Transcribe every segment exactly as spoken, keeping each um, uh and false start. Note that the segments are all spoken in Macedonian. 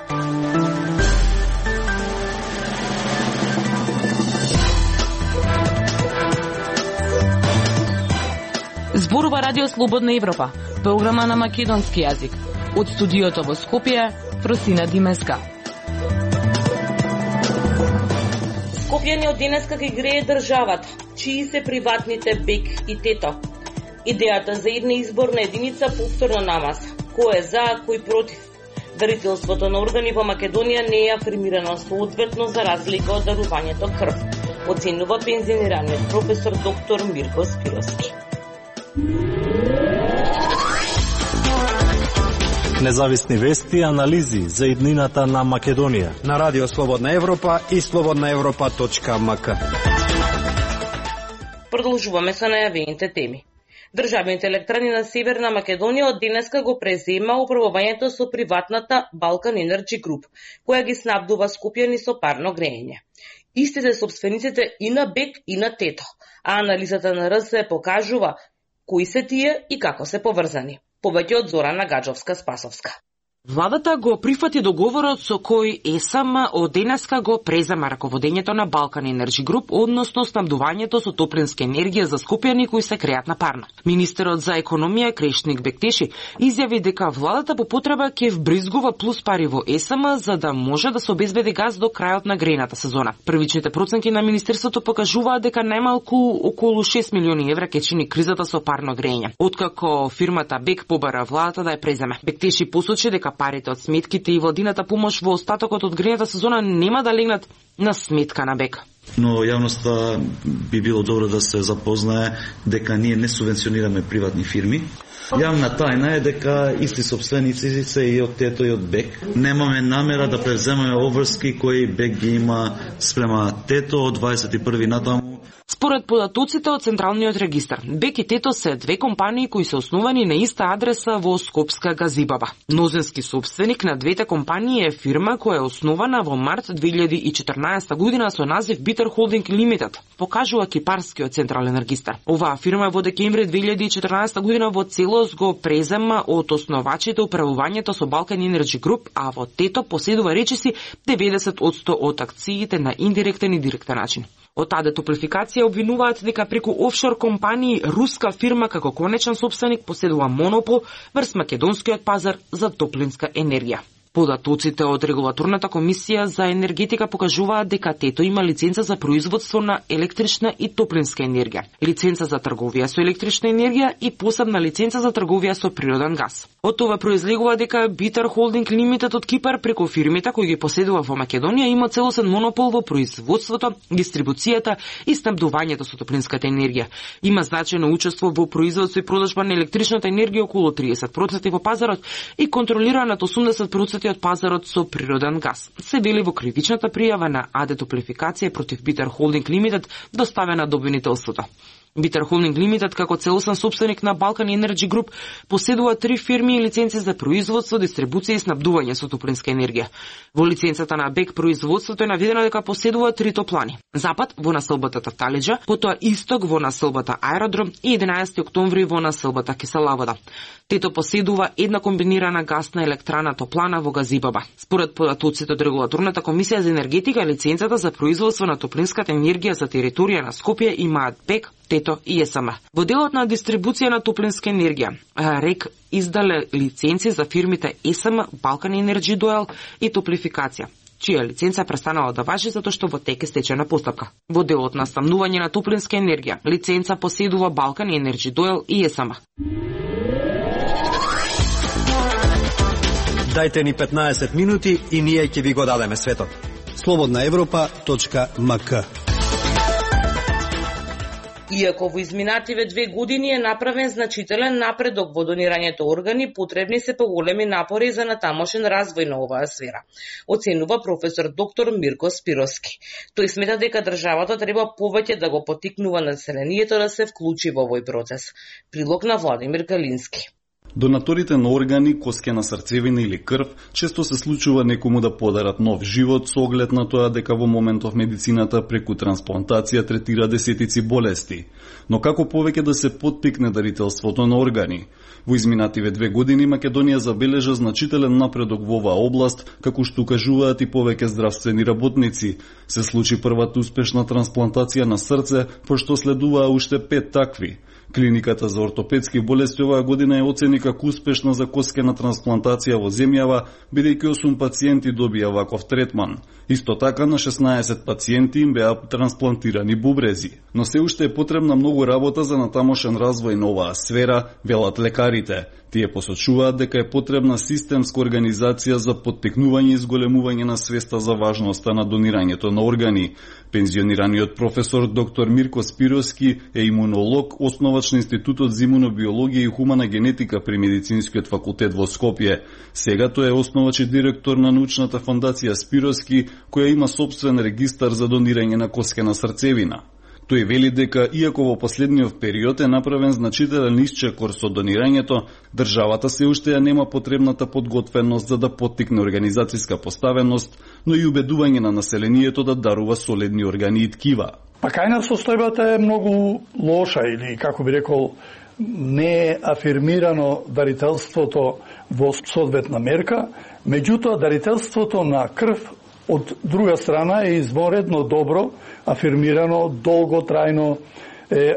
Зборува Радио Слободна Европа, програма на македонски јазик. Од студиото во Скопје, Фросина Димеска. Скопјани од денеска ги грее државата, чии се приватните БЕК и ТЕТО. Идејата за една изборна единица повторно намаса. Кој е за, кој против. Дарителството на органи во Македонија не е афирмирано соодветно за разлика од дарувањето крв, оценува пензионираниот професор доктор Мирко Спировски. Независни вести и анализи за иднината на Македонија на Радио Слободна Европа и слободна европа точка ем ка. Продолжуваме со најавените теми. Државните електрани на Северна Македонија од денеска го презема управувањето со приватната Балкан Енерджи Груп, која ги снабдува скопјани со парно грејење. Истите собствениците и на БЕК и на ТЕТО, а анализата на РС покажува кои се тие и како се поврзани. Повеќе од Зорана Гаджовска-Спасовска. Владата го прифати договорот со кој ЕСАМ од денеска го презема раководењето на Балкан Енерджи Груп, односно снабдувањето со топлинска енергија за скопјани кои се креат на парно. Министерот за економија Крешник Бектеши изјави дека владата по потреба ќе вбризгува плюс пари во ЕСАМ за да може да се обезбеди газ до крајот на грејната сезона. Првичните проценти на министерството покажуваат дека најмалку околу шест милиони евра ќе чини кризата со парно грејење, откако фирмата БЕК побара владата да ја преземе. Бектеши посочи дека парите од сметките и владината помош во остатокот од грејната сезона нема да легнат на сметка на БЕК. Но јавноста би било добро да се запознае дека ние не субвенционираме приватни фирми. Јавна тајна е дека исти собственици се и од ТЕТО и од БЕК. Немаме намера да превземаме обврски кои БЕК ги има спрема ТЕТО од дваесет и први натаму. Според податоците од Централниот регистар, БЕК и ТЕТО се две компании кои се основани на иста адреса во Скопска Газибаба. Мнозински собственик на двете компании е фирма која е основана во март две илјади и четрнаесета година со назив Битер Холдинг Лимитед, покажува Кипарскиот Централен регистар. Оваа фирма во декември две илјади и четрнаесета година во целост го презема од основачите управувањето со Балкан Енерджи Груп, а во ТЕТО поседува речиси деветдесет одсто од акциите на индиректен и директен начин. Од АД Топлификација обвинуваат дека преку офшор компании руска фирма како конечен собственик поседува монопол врз македонскиот пазар за топлинска енергија. Податоците од Регулаторната комисија за енергетика покажуваат дека ТЕТО има лиценца за производство на електрична и топлинска енергија, лиценца за трговија со електрична енергија и посебна лиценца за трговија со природен газ. Од тоа произлегува дека Битер Холдинг Лимитед од Кипар преку фирмите кои ги поседува во Македонија има целосен монопол во производството, дистрибуцијата и снабдувањето со топлинската енергија. Има значајно учество во производство и продажба на електричната енергија околу триесет проценти во пазарот и контролира над осумдесет проценти од пазарот со природен газ. Се вели во кривичната пријава на АД Топлификација против Битер Холдинг Лимитед доставена до обвинителството. Битер Холдинг Лимитед како целосен собственик на Балкан Енерджи Груп поседува три фирми и лиценци за производство, дистрибуција и снабдување со топлинска енергија. Во лиценцата на БЕК производството е наведено дека поседува три топлани: Запад во населбата Тавталиџа, потоа Исток во населбата Аеродром и единаесети октомври во населбата Кисела вода. ТЕТО поседува една комбинирана гасна електрана топлана во Газибаба. Според податоците од Регулаторната комисија за енергетика, лиценцата за производство на топлинската енергија за територија на Скопје имаат БЕК, ТЕТО и ЕСАМ. Во делот на дистрибуција на топлинска енергија, РЕК издале лиценци за фирмите ЕСАМ, Балкан Енерджи Дуел и Топлификација, чија лиценца престанала да важи затоа што во тек е стечена постапка. Во делот на снабдување на топлинска енергија, лиценца поседува Балкан Енерджи Дуел и ЕСАМ. Дајте ни петнаесет минути и ние ќе ви го дадеме светот. слободна европа точка ем ка. Иако во изминативе две години е направен значителен напредок во донирањето органи, потребни се поголеми напори за натамошен развој на оваа сфера, оценува професор доктор Мирко Спировски. Тој смета дека државата треба повеќе да го поттикнува населението да се вклучи во овој процес. Прилог на Владимир Калински. Донаторите на органи, коскена срцевина или крв, често се случува некому да подарат нов живот со оглед на тоа дека во моментов медицината преку трансплантација третира десетици болести. Но како повеќе да се поттикне дарителството на органи? Во изминативе две години Македонија забележа значителен напредок во оваа област, како што укажуваат и повеќе здравствени работници. Се случи првата успешна трансплантација на срце, пошто следуваа уште пет такви. Клиниката за ортопедски болести оваа година е оцени како успешна за коскена трансплантација во земјава, бидејќи осум пациенти добија ваков третман. Исто така на шеснаесет пациенти им беа трансплантирани бубрези. Но се уште е потребна многу работа за натамошен развој на оваа сфера, велат лекарите. Тие посочуваат дека е потребна системска организација за поттикнување и зголемување на свеста за важноста на донирањето на органи. Пензионираниот професор доктор Мирко Спировски е имунолог, основач на Институтот за имунобиологија и хумана генетика при Медицинскиот факултет во Скопје. Сега тој е основач и директор на научната фондација Спировски, која има собствен регистар за донирање на коскена срцевина. Тој вели дека, иако во последниот период е направен значителен исчекор со донирањето, државата се уште ја нема потребната подготвеност за да поттикне организацијска поставеност, но и убедување на населението да дарува солидни органи и ткива. Па кајна состојбата е многу лоша, или како би рекол, не е афирмирано дарителството во соодветна мерка, меѓутоа дарителството на крв од друга страна е изворедно добро, афирмирано, долготрајно, е, е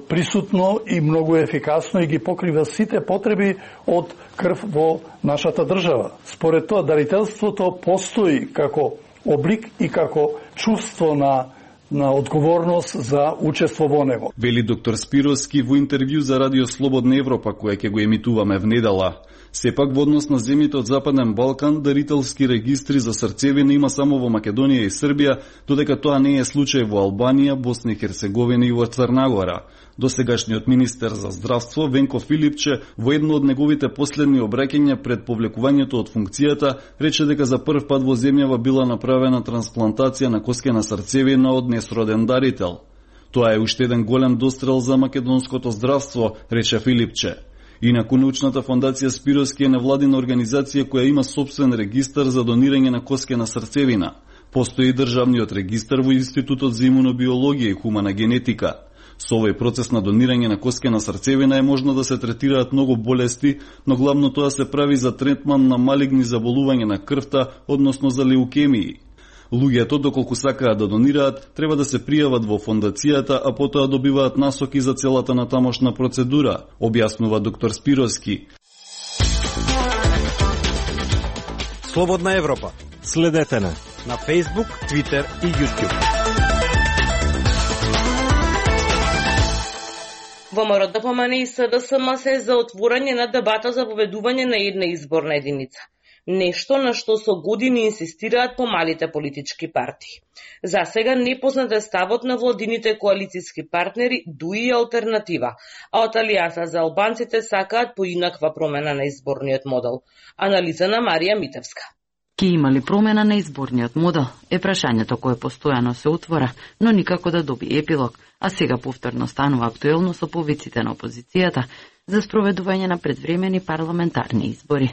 присутно и многу ефикасно и ги покрива сите потреби од крв во нашата држава. Според тоа, дарителството постои како облик и како чувство на на одговорност за учество во него. Вели доктор Спировски во интервју за Радио Слободна Европа, која ќе го емитуваме внедела. Сепак во однос на земјите од Западен Балкан, дарителски регистри за срцевина има само во Македонија и Србија, додека тоа не е случај во Албанија, Босна и Херцеговина и во Црна Гора. Досегашниот министер за здравство Венко Филипче во едно од неговите последни обраќања пред повлекувањето од функцијата рече дека за прв пат во земјава била направена трансплантација на коскена срцевина од несроден дарител. Тоа е уште еден голем дострел за македонското здравство, рече Филипче. Инаку научната фондација Спировски е невладина организација која има собствен регистар за донирање на коскена срцевина. Постои државниот регистар во Институтот за имунобиологија и хумана генетика. Со овој процес на донирање на коскена срцевина е можно да се третираат многу болести, но главно тоа се прави за третман на малигни заболувања на крвта, односно за леукемии. Луѓето, доколку сакаат да донираат, треба да се пријават во фондацијата, а потоа добиваат насоки за целата натамошна процедура, објаснува доктор Спировски. Слободна Европа. Следете на на Facebook, Twitter и YouTube. ВМРО ДПМН и СДСМ се за отворање на дебата за воведување на една изборна единица. Нешто на што со години инсистираат помалите политички партии. За сега непознат е ставот на владините коалицијски партнери, дуи и алтернатива, а од Алијанса за албанците сакаат поинаква промена на изборниот модел. Анализа на Марија Митевска. Ке има ли промена на изборниот модел е прашањето кое постојано се отвора, но никако да доби епилог, а сега повторно станува актуелно со повиците на опозицијата за спроведување на предвремени парламентарни избори.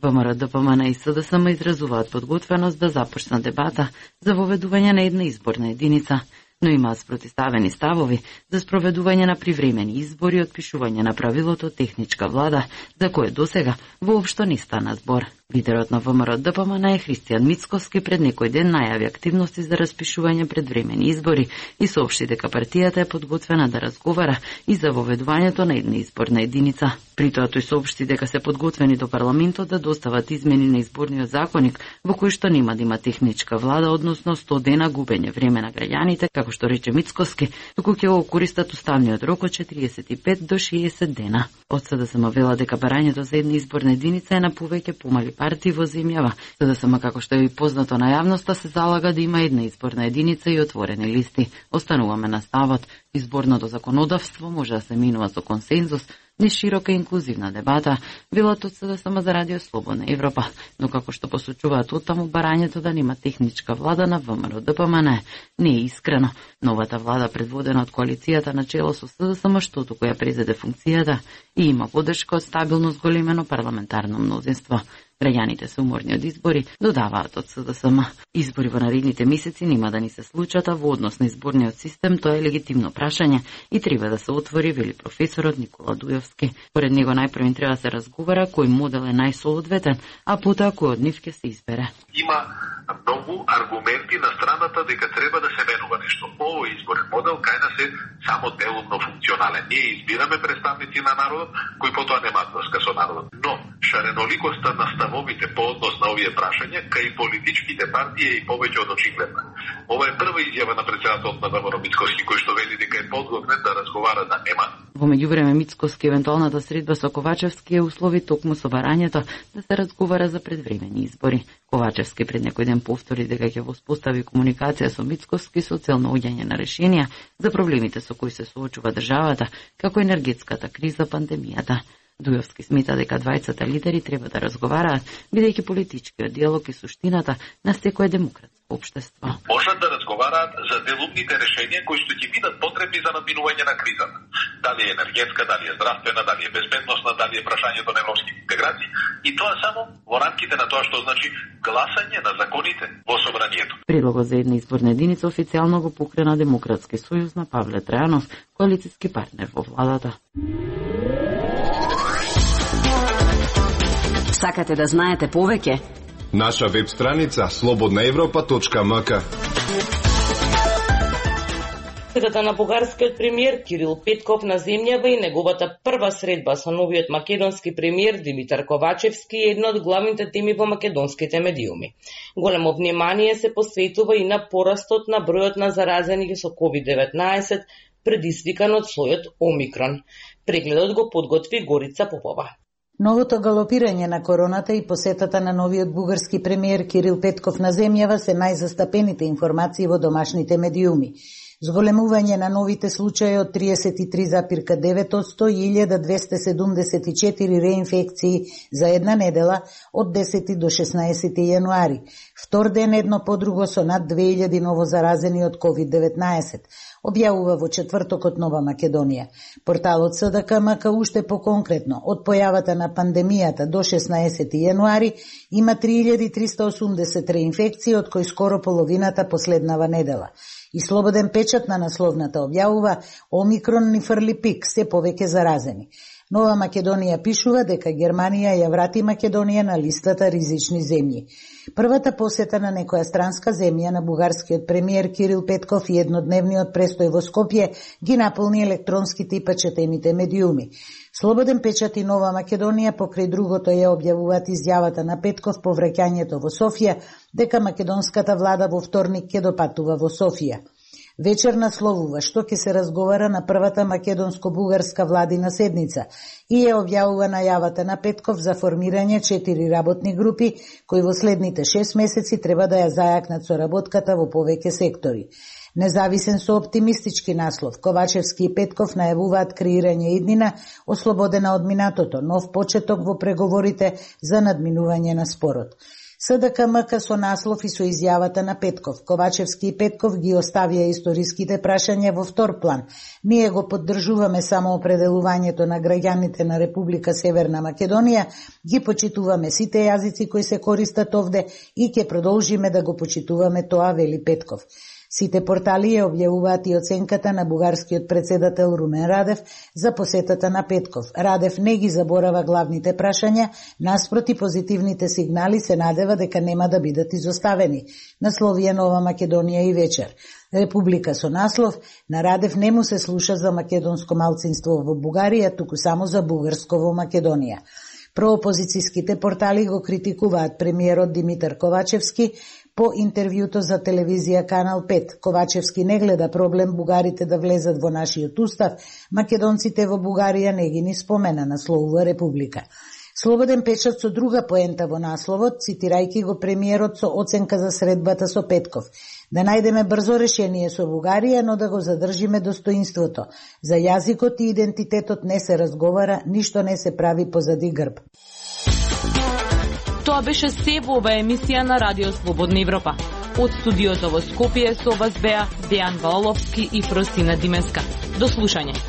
ВМРО ДПМН и СДСМ изразуваат подготвеност да започна дебата за воведување на една изборна единица, но имаат спротиставени ставови за спроведување на привремени избори и отпишување на правилото техничка влада, за кое досега воопшто не стана збор. Лидерот на ВМРО ДПМН е Христијан Мицковски пред некој ден најави активности за распишување предвремени избори и соопшти дека партијата е подготвена да разговара и за воведувањето на една изборна единица. При тоа тој соопшти дека се подготвени до парламентот да достават измени на изборниот законник во кој што нема да има техничка влада, односно сто дена губење време на граѓаните, како што рече Мицковски, туку ќе го користат уставниот рок од четириесет и пет до шеесет дена. Од СДСМ вела дека барањето за една изборна единица е на повеќе помали партии во земјава. СДСМ, како што е и познато на јавноста, се залага да има една изборна единица и отворени листи. Остануваме на ставот. Изборното законодавство може да се минува со консензус, не широка инклузивна дебата, велат од СДСМ за Радио Слободна Европа, но како што посочуваат оттаму, барањето да нема техничка влада на ВМРО Д П М Н не е искрено. Новата влада, предводена од коалицијата на чело со СДСМ, што туку ја презеде функцијата и има поддршка од стабилно зголемено парламентарно мнозинство. Граѓаните се уморни од избори, додаваат од СДСМ. Избори во наредните месеци нема да ни се случат, а во однос на изборниот систем тоа е легитимно прашање и треба да се отвори, вели професорот Никола Дујовски. Поред него најпрво треба да се разговара кој модел е најсоодветен, а потоа кој од нив ќе се избере. Има многу аргументи на страната дека треба да се менува нешто. Овој изборен модел кај нас е само делумно функционален. Ние избираме представници на народот кои потоа немаат врска со народот. Но шареноликоста на ставовите по однос на овие прашања кај политичките партии е и повеќе од очигледна. Ова е прва изјава на претседателот на ВМРО Мицкоски кој што вели дека е подготвен да разговара да нема. Во меѓувреме Мицкоски евентуалната средба со Ковачевски е услови токму со барањето да се разговара за предвремени избори. Ковачевски пред некој ден повтори дека ќе воспостави комуникација со Мицкоски со цел наоѓање на решенија за проблемите со кои се соочува државата, како енергетската криза, пандемијата. Дујовски смета дека двајцата лидери треба да разговараат, бидејќи политичкиот диалог е суштината на секое демократско општество. Можат да разговараат за делумните решенија кои што ќе бидат потребни за надминување на кризата. Дали е енергетска, дали е здравствена, дали е безбедносна, дали е прашањето на европски интеграции, и тоа само во рамките на тоа што значи гласање на законите во собранието. Предлогот за една изборна единица официјално го покрена Демократски сојуз на Павле Трајанов, коалициски партнер во владата. Сакате да знаете повеќе? Наша веб страница слободна европа точка м к. Посетата на бугарскиот премиер Кирил Петков на земјава и неговата прва средба со новиот македонски премиер Димитар Ковачевски е една од главните теми во македонските медиуми. Големо внимание се посветува и на порастот на бројот на заразени со ковид деветнаесет, предизвикан од слојот Омикрон. Прегледот го подготви Горица Попова. Новото галопирање на короната и посетата на новиот бугарски премиер Кирил Петков на земјава се најзастапените информации во домашните медиуми. Зголемување на новите случаи од триесет и три запирка девет одсто и илјада двесте седумдесет и четири реинфекции за една недела од десети до шеснаесети јануари. Втор ден едно по друго со над две илјади ново заразени од ковид деветнаесет. Објавува во четвртокот Нова Македонија. Порталот С Д К М К уште поконкретно, од појавата на пандемијата до шеснаесети јануари има три илјади триста осумдесет реинфекции, од кои скоро половината последнава недела. И слободен печат на насловната објавува Омикрон ни фрли пик, се повеќе заразени. Нова Македонија пишува дека Германија ја врати Македонија на листата ризични земји. Првата посета на некоја странска земја на бугарскиот премиер Кирил Петков и еднодневниот престој во Скопје ги наполни електронските и печатените медиуми. Слободен печат и Нова Македонија покрај другото ја објавуваат изјавата на Петков по враќањето во Софија дека македонската влада во вторник ќе допатува во Софија. Вечер насловува што ќе се разговара на првата македонско-бугарска владина седница и ја објавува најавата на Петков за формирање четири работни групи кои во следните шест месеци треба да ја зајакнат соработката во повеќе сектори. Независен со оптимистички наслов, Ковачевски и Петков најавуваат креирање иднина ослободена од минатото, нов почеток во преговорите за надминување на спорот. С Д К М К со наслов и со изјавата на Петков. Ковачевски и Петков ги оставија историските прашања во втор план. Ние го поддржуваме само определувањето на граѓаните на Република Северна Македонија, ги почитуваме сите јазици кои се користат овде и ќе продолжиме да го почитуваме тоа, вели Петков. Сите портали ја објавуваат и оценката на бугарскиот председател Румен Радев за посетата на Петков. Радев не ги заборава главните прашања, наспроти позитивните сигнали се надева дека нема да бидат изоставени. Насловија Нова Македонија и вечер. Република со наслов, на Радев не му се слуша за македонско малцинство во Бугарија, туку само за бугарско во Македонија. Проопозицијските портали го критикуваат премиерот Димитар Ковачевски по интервјуто за телевизија Канал пет. Ковачевски не гледа проблем бугарите да влезат во нашиот устав, македонците во Бугарија не ги ни спомена, насловува Република. Слободен печат со друга поента во насловот, цитирајќи го премиерот со оценка за средбата со Петков. Да најдеме брзо решение со Бугарија, но да го задржиме достоинството. За јазикот и идентитетот не се разговара, ништо не се прави позади грб. Тоа беше се во оваа емисија на Радио Слободна Европа. Од студиото во Скопје со вас беа Дејан Валовски и Фросина Димеска. До слушање.